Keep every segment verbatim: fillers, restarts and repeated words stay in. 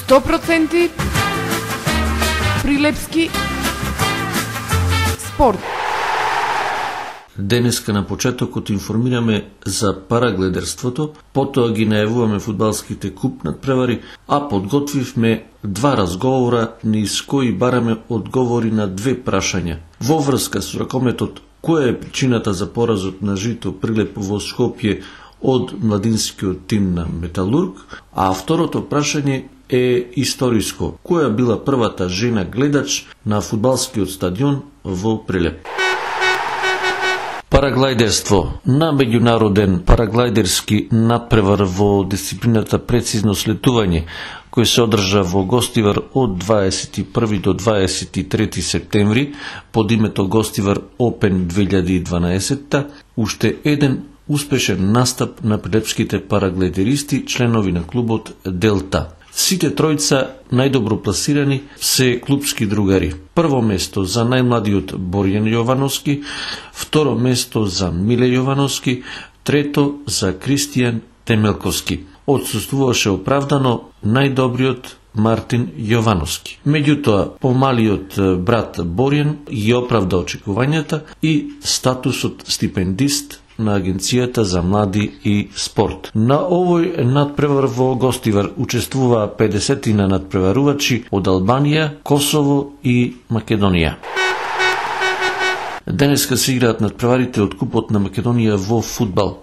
сто проценти Прилепски спорт. Денеска на почетокот информираме за парагледерството, потоа ги најавуваме фудбалските куп надпревари, а подготвивме два разговора низ кои бараме одговори на две прашања. Во врска со ракометот, која е причината за поразот на Жито Прилеп во Скопје од младинскиот тим на Металург, а второто прашање е историско. Која била првата жена гледач на фудбалскиот стадион во Прилеп? Параглайдерство. На меѓународен параглайдерски надпревар во дисциплината прецизно слетување, кој се одржа во Гостивар од дваесет и први до дваесет и трети септември под името Гостивар Open две илјади и дванаесетта, уште еден успешен настап на прилепските параглайдеристи, членови на клубот Делта. Сите тројца најдобро пласирани се клубски другари. Прво место за најмладиот Борјан Јовановски, второ место за Миле Јовановски, трето за Кристијан Темелковски. Отсуствуваше оправдано најдобриот Мартин Јовановски. Меѓутоа, помалиот брат Борјан ги оправда очекувањата и статусот стипендист на Агенцијата за млади и спорт. На овој надпревар во Гостивар учествуваа педесетина надпреварувачи од Албанија, Косово и Македонија. Денеска се играат надпреварите од Купот на Македонија во фудбал.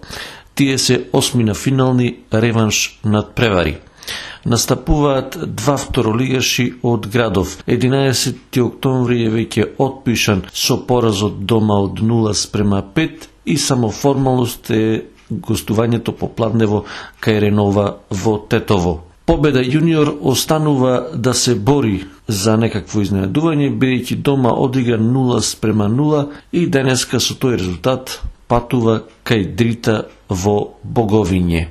Тие се осмина финални реванш надпревари. Настапуваат два второлигаши од градов. единаесети октомври е веќе отпишан со поразот дома од нула спрема пет и само формалност е гостувањето по Плавнево кај Ренова во Тетово. Победа јуниор останува да се бори за некакво изненадување, бидејќи дома одигра нула спрема нула и денеска со тој резултат патува кај Дрита во Боговиње.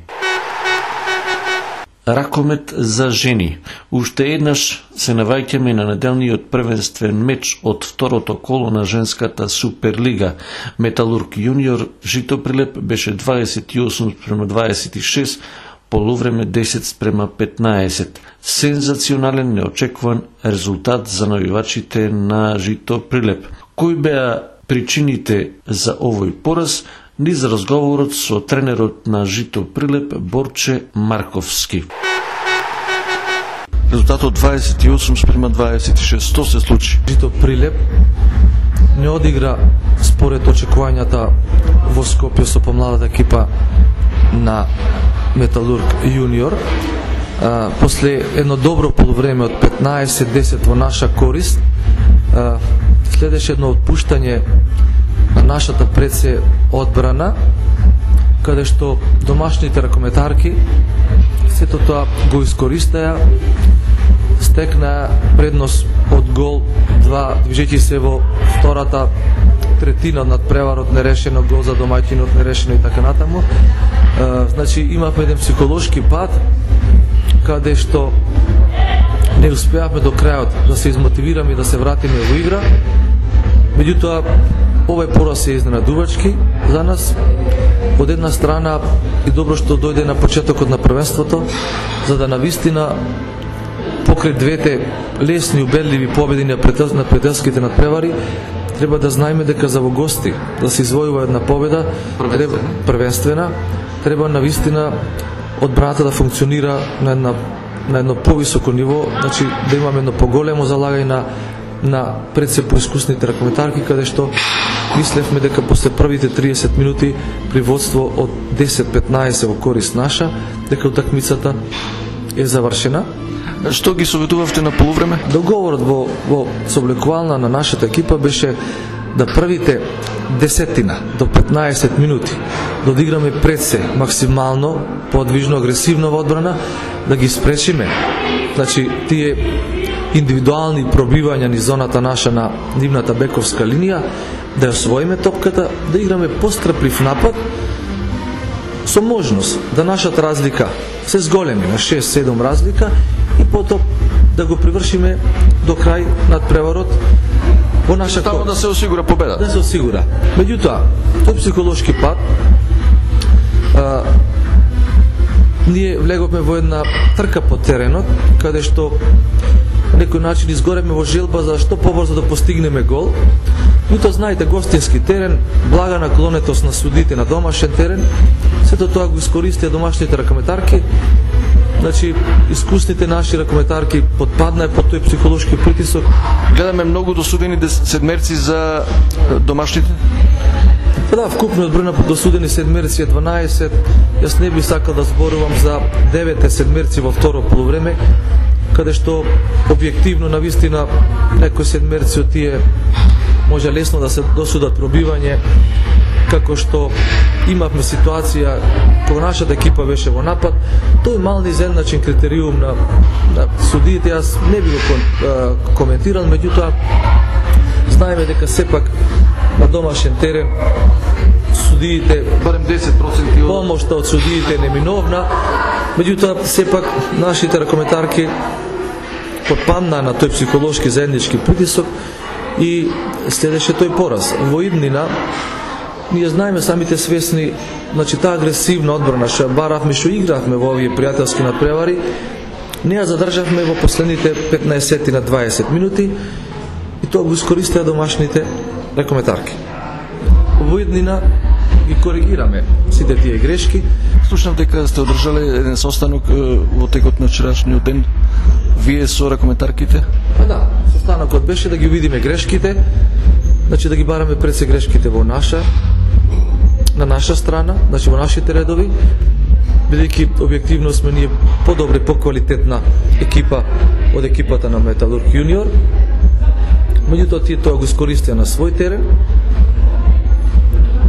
Ракомет за жени. Уште еднаш се наваѓаме на неделниот првенствен меч од второто коло на женската Суперлига. Металург јуниор Жито Прилеп беше дваесет и осум спрема дваесет и шест, полувреме десет спрема петнаесет. Сензационален неочекуван резултат за навивачите на Жито Прилеп. Кои беа причините за овој пораз? Низ разговорот со тренерот на Жито Прилеп Борче Марковски. Резултатот дваесет и осум спрема дваесет и шест. Што се случи? Жито Прилеп не одигра според очекувањата во Скопје со помладата екипа на Металург јуниор. А, после едно добро полувреме од петнаесет десет во наша корист, а, следеше едно отпуштање на нашата предсе одбрана, каде што домашните ракометарки сето тоа го искористаја, стекна предност од гол два, движејќи се во втората третина над преварот нерешено, гол за домаќинот нерешено и така натаму. E, значи имавме еден психолошки пат каде што не успеавме до крајот да се измотивираме и да се вратиме во игра. Меѓутоа, овој пораз е изненадувачки за нас. Од една страна и добро што дојде на почетокот на првенството, за да навистина покрај двете лесни убедливи победи на пријателските надпревари, треба да знаеме дека за во гости да се извојува една победа првенствена, треба, првенствена, треба навистина одбраната да функционира на една на едно повисоко ниво, значи да имаме едно поголемо залагање на на пред се поискусните ракометарки, каде што мислевме дека после првите триесет минути при водство од десет петнаесет во корист наша, дека утакмицата е завршена. Што ги советувавте на полувреме? Договорот во, во сооблекувална на нашата екипа беше да првите десетина до петнаесет минути да одиграме пред се максимално подвижно, агресивно во одбрана, да ги спречиме. Значи, тие индивидуални пробивања низ зоната наша на нивната бековска линија, да ја освоиме топката, да играме постраплив напад, со можност да нашата разлика се зголеми на шест-седум разлика и потоа да го привршиме до крај над преварот во наша корист. Да се осигура победа. Да се осигура. Меѓутоа, тој психолошки пат а, ние влеговме во една трка по теренот, каде што на некој начин изгоревме во желба за што побрзо да постигнеме гол. И тоа знаете, гостински терен, блага наклонетост на судите на домашен терен, сето тоа го искористија домашните ракометарки. Значи, искусните наши ракометарки подпаднаа под тој психолошки притисок. Гледаме многу досудени седмерци за домашните. Да, вкупниот број на досудени седмерци е дванаесет. Јас не би сакал да зборувам за девет седмерци во второ полувреме, каде што објективно навистина некои седмерци од тие може лесно да се досудат пробивање, како што имавме ситуација кога нашата екипа беше во напад. Тој мал изедначен критериум на, на судиите јас не би го коментирал, меѓутоа знаеме дека сепак на домашен терен судиите, барем десет проценти помошта од судиите е неминовна, меѓутоа сепак нашите ракометарки подпаднаа на тој психолошки заеднички притисок и следеше тој пораз. Во иднина ние знаеме, самите свесни, значи таа агресивна одбрана што баравме, што игравме во овие пријателски надпревари, не ја задржавме во последните петнаесет на дваесет минути и тоа го искористија домашните ракометарки. Во иднина ги коригираме сите тие грешки. Слушнав дека сте одржале еден состанок во текот на вчерашниот ден вие со ракометарките? А да, состанокот беше да ги видиме грешките, значи да ги бараме пред се грешките во наша на наша страна, значи во нашите редови, бидејќи објективно сме ние подобри, поквалитетна екипа од екипата на Металург Јуниор. Меѓутоа тие тоа го искористија на свој терен,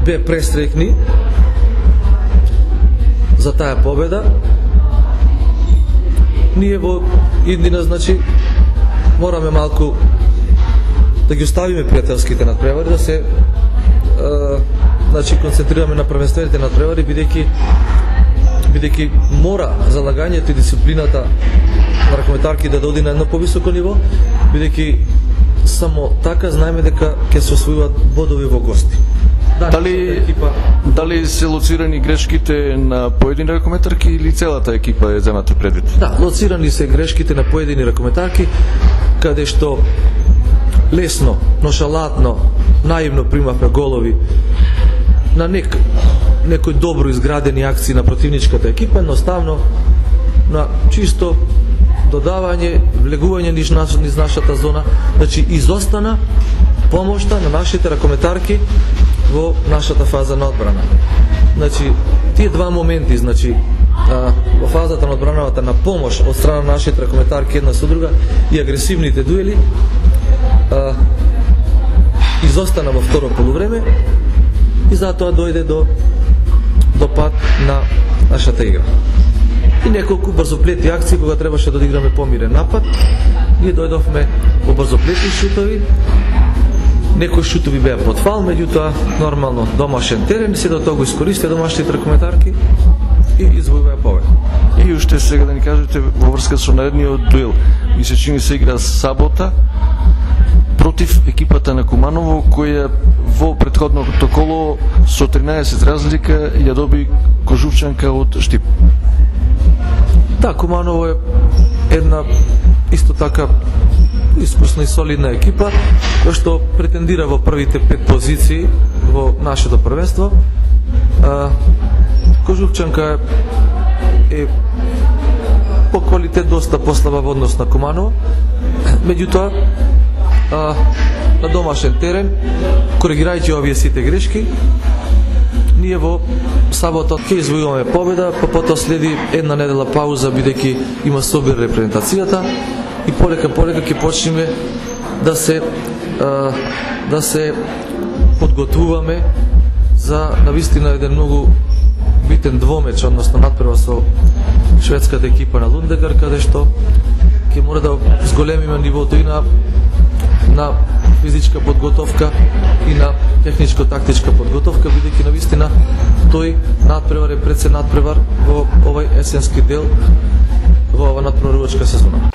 бе престрекни за таа победа. Ние во иднина, значи, мораме малку да ги оставиме пријателските надпревари, да се е, значи, концентрираме на првенствените надпревари, бидејќи бидејќи мора залагањето и дисциплината на ракометарки да доди на едно повисоко ниво, бидејќи само така знаеме дека ќе се освојуваат бодови во гости. Да, дали, екипа... дали се лоцирани грешките на поедини ракометарки или целата екипа е земата предвид? Да, лоцирани се грешките на поедини ракометарки, каде што лесно, ношалатно, наивно примавме голови на нек, некои добро изградени акции на противничката екипа, едноставно на чисто додавање, влегување низ, низ нашата зона, значи изостана помошта на нашите ракометарки во нашата фаза на одбрана. Значи, тие два моменти, значи, а, во фазата на одбраната на помош од страна на нашите ракометарки една со друга и агресивните дуели, а, изостана во второ полувреме и затоа дојде до, до пад на нашата игра. И неколку брзоплети акции кога требаше да одиграме помирен напад, ние дојдовме во брзоплети шутови. Некои шутови беа под фал, меѓутоа нормално домашен терен, се до тоа го искористија домашните ракометарки и извојуваја победа. И уште сега да ни кажете во врска со наредниот дуел. Ми се чини се игра сабота против екипата на Куманово, која во претходното коло со тринаесет разлика ја доби Кожувчанка од Штип. Да, Куманово е една исто така искусна и солидна екипа, која што претендира во првите пет позиции во нашето првенство. Кожувчанка е по квалитет доста послаба во однос на Куманово, меѓутоа на домашен терен, коригирајќи овие сите грешки, ние во сабота ќе извојуваме победа, па потоа следи една недела пауза, бидејќи има собир репрезентацијата и полека полека ќе почнеме да се а, да се подготвуваме за навистина еден многу битен двомеч, односно надпрва со шведската екипа на Лундегар, каде што ќе мора да зголемиме нивото и на на физичка подготовка и на техничко-тактичка подготовка, бидејќи навистина тој надпревар е пред се надпревар во овој есенски дел во ова надпреварувачка сезона.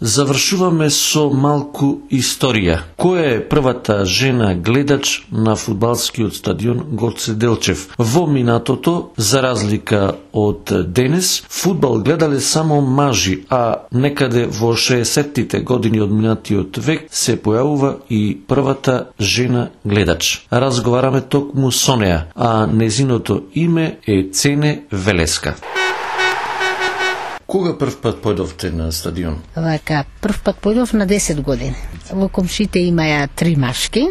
Завршуваме со малку историја. Која е првата жена гледач на фудбалскиот стадион Гоце Делчев? Во минатото, за разлика од денес, фудбал гледале само мажи, а некаде во шеесеттите години од минатиот век се појавува и првата жена гледач. Разговараме токму со неа, а незиното име е Цене Велеска. Кога прв пат појдовте на стадион? Вака, прв пат појдов на десет години. Во комшите имаја три машки,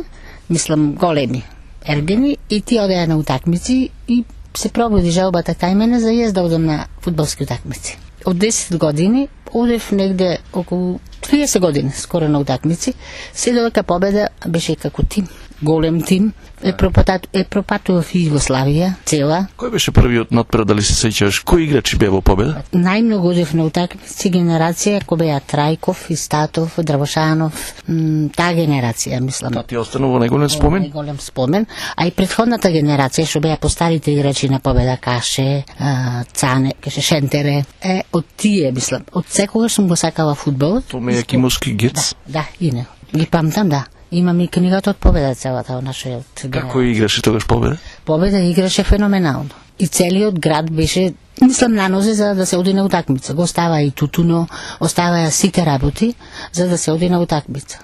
мислам големи, ергени, и ти одеа на утакмици и се пробуди жалбата кај мене за јас да одам на фудбалски утакмици. Од десет години одев негде околу триесет години скоро на утакмици. Се додека победа беше како тим, голем тим. Е пропатат е пропатував и Југославија цела. Кој беше првиот надпред, дали се сеќаваш? Кои играчи беа во победа? Најмногу одев на утакмици генерација кој беа Трајков, Истатов, Дравошанов, м, таа генерација, мислам. Та ти останува најголем спомен? Најголем спомен, а и претходната генерација што беа постарите играчи на победа, Каше, а, Цане, Каше Шентере, е од тие, мислам. Од секогаш сум го сакала фудбалот. Томе Јакимовски, Гец. Да, да, и не. Ги памтам, да. Имам и книгата од победа целата од нашиот. Како играше тогаш победа? Победа играше феноменално. И целиот град беше, мислам, на нозе за да се оди на утакмица. Го остава и тутуно, оставаја сите работи за да се оди на утакмица.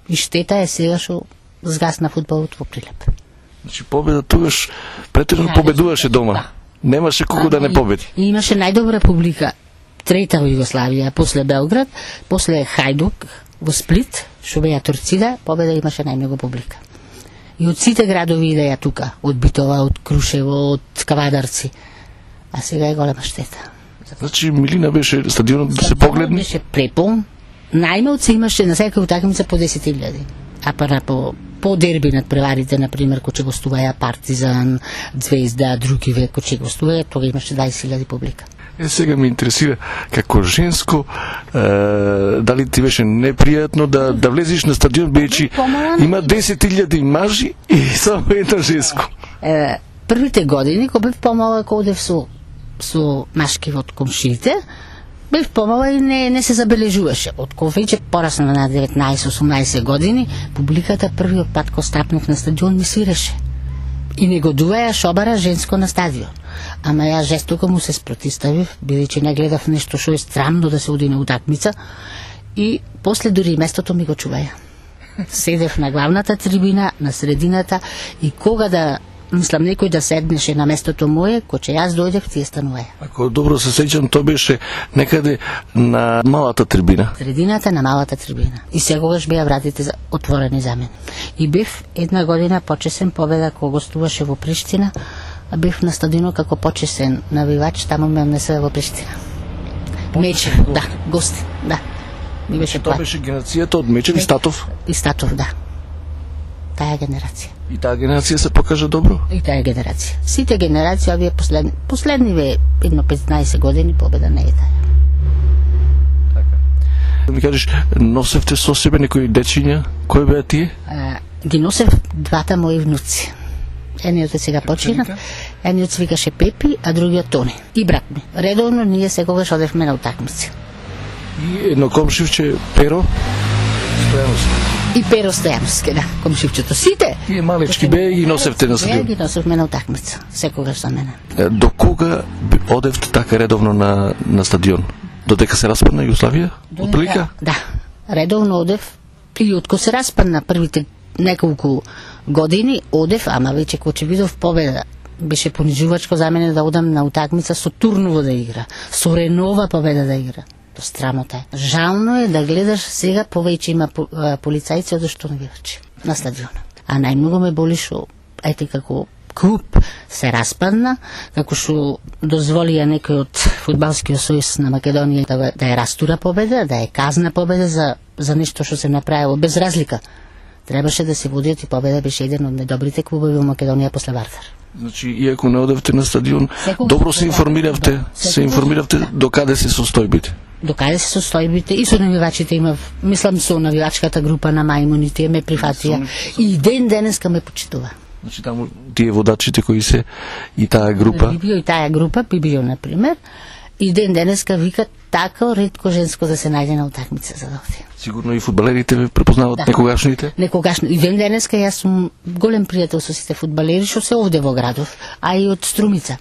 И штета е сега што згасна фудбалот во Прилеп. Значи победа тогаш претерно Да, победуваше дома. да. Немаше кого да не победи. И имаше најдобра публика. Трета во Југославија, после Белград, после Хајдук, во Сплит, што беа Торцида, победа имаше најмногу публика. И од сите градови идеја тука, од Битова, од Крушево, од Кавадарци. А сега е голема штета. Значи милина беше стадионот да се погледне. Беше препон. Најмалце имаше на секоја утакмица по десет илјади. А пара по по дерби над преварите, например, кој че гостуваја Партизан, Звезда, други век, кој че гостуваја, тога имаше дваесет илјади публика. Е, сега ме интересира, како женско, е, дали ти беше непријатно да, да влезеш на стадион, бидејќи има десет илјади мажи и само едно женско. Е, првите години, кога бев помалак, одев со, со машки од комшиите, бев помала и не, не се забележуваше. Од кога веќе порасна на деветнаесет-осумнаесет години, публиката првиот пат кога стапнав на стадион ми свиреше. И негодуваја шобара женско на стадион. Ама ја жестоко му се спротиставив, бидејќи не гледав нешто што е страмно да се оди на утакмица, и после дури местото ми го чуваја. Седев на главната трибина, на средината, и кога да, мислам, некој да седнеше на местото мое, кој че јас дојдев, тие стануваја. Ако добро се сеќам, тоа беше некаде на малата трибина. Средината на малата трибина. И секогаш беа вратите за- отворени за мене. И бев една година почесен победа кога гостуваше во Приштина, а бев на стадионот како почесен навивач, таму ме однесе во Приштина. Мечев, да, гости, да. Ми беше Тоа плат. беше генерацијата од Мечев и Статов. И Статов, да. Таа генерација. И таа генерација се покажа добро. И таа генерација. Сите генерации, овие последни, последниве едно петнаесет години победа не е таа. Да ми кажеш, носевте со себе некои дечиња, кои беа тие? А, ги носев двата мои внуци. Едниот е сега почина, едниот се викаше Пепи, а другиот Тони. И брат ми. Редовно ние секогаш одевме на утакмици. И едно комшивче Перо Стојановски. И Перо Стојановски, да, комшивчето. Сите! Тие малечки беа и ги носевте на Ние стадион. ги носевме на утакмица. Секогаш за мене. Е, До кога би- одевте така редовно на, на стадион? Додека се распадна Југославија? Отприлика? Да, редовно одев и откако се распадна првите неколку години одев, ама веќе кога че видов победа беше понижувачко за мене да одам на утакмица со Турново да игра, со Ренова победа да игра. До страмота е. Жално е да гледаш сега повеќе има по- а, полицајци од што навивачи на стадионот. А најмногу ме боли што ете како клуб се распадна, како што дозволија некој од фудбалскиот сојуз на Македонија да, да ја растура победа, да ја казна победа за, за нешто што се направило без разлика. Требаше да се водиот и победа беше еден од најдобрите клубови во Македонија после Вардар. Значи, иако не одевте на стадион, Секогаш добро се да, информиравте, да. се Секогаш. информиравте до каде се состојбите. До каде се состојбите и со навивачите имав, мислам со навивачката група на мајмуните ме прифатија и ден денеска ме почитува. Значи, таму тие водачите кои се и таа група. Бибио и таа група, Бибио, например, И ден денеска викат така ретко женско да се најде на утакмица за овде. Сигурно и фудбалерите ве препознаваат, да. Некогашните? Некогашно. И ден денеска јас сум голем пријател со сите фудбалери што се овде во градов, а и од Струмица.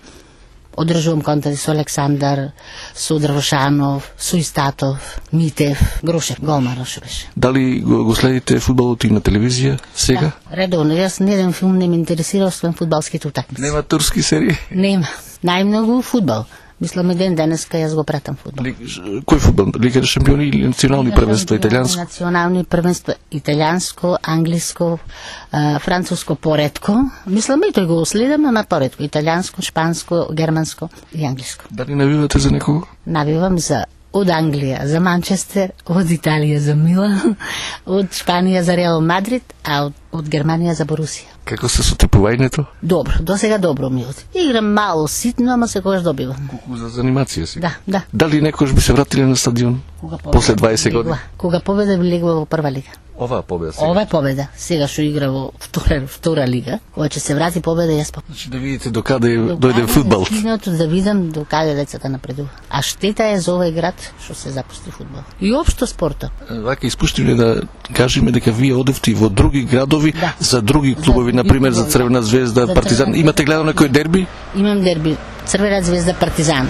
Одржувам контакти со Александар, со Дрвошанов, со Истатов, Митев, Грошев, голмар што беше. Дали го, го следите фудбалот и на телевизија сега? Да, редовно. Јас не еден филм не ме интересира, освен фудбалските утакмици. Нема турски серии? Нема. Најмногу фудбал. Мислам, ден денеска јас го пратам фудбал. Ли, кој фудбал? Лига шампиони или национални првенства, италијанско? Национални првенства, италијанско, англиско, а, француско поредко. Мислам, и тој го следам, ама поредко. Италијанско, шпанско, германско и англиско. Дали навивате за некого? Навивам за од Англија за Манчестер, од Италија за Милан, од Шпанија за Реал Мадрид, а од, од Германија за Борусија. Како се со типувањето? Добро, до сега добро ми оди. Играм мало ситно, ама секогаш добивам. Колку за занимација си? Да, да. Дали некош би се вратиле на стадион? Кога После дваесет години? Кога победа би легла во прва лига. Оваа победа сега? Ова е победа. Сега што игра во втора, втора лига, кога ќе се врати победа, јас па. Значи да видите докаде дојде фудбал. Киното да видам докаде децата напредува. А штета е за овој град што се запусти фудбал. И општо спортот. Вака испуштивме да кажеме дека вие одевте во други градови, да. За други клубови, на пример за Црвена звезда, за Партизан. Црвена... Имате гледано некој дерби? Имам дерби. Црвена звезда, Партизан,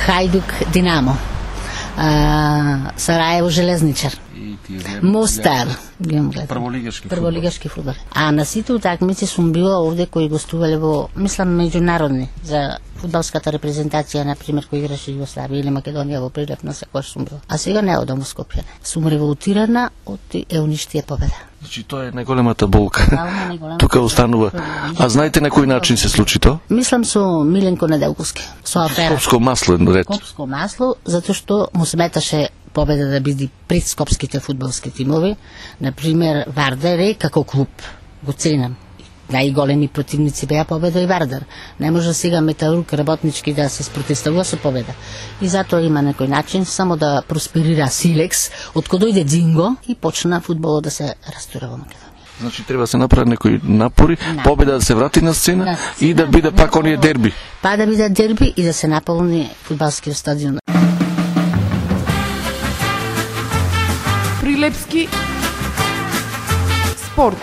Хајдук, Динамо, а, Сараево, Железничар, Мостар. Прволигашки фудбал. Прволигашки фудбал. А на сите утакмици сум била овде кои гостувале во, мислам, меѓународни за фудбалската репрезентација, на пример, кој играше Југославија или Македонија во прилеп на секој сум била. А сега не одам во Скопје. Сум револтирана од еуничтија победа. Значи тоа е најголемата болка. Тука останува. А знаете на кој начин се случи тоа? Мислам со Миленко Неделковски, со афера. Скопско масло ред. Скопско масло, затоа што му сметаше победа да биде пред скопските фудбалски тимови. Например, Вардар е како клуб. Го ценам. Најголеми противници беа победа и Вардар. Не може сега Металург работнички да се спротестува со победа. И затоа има некој начин само да просперира Силекс, од кога дојде Динго и почна фудбалот да се растура во Македонија. Значи треба да се направат некои напори, да. Победа да се врати на сцена, на сцена и да биде пак оние дерби. Па да биде дерби и да се наполни фудбалскиот стадион. Прилепски спорт.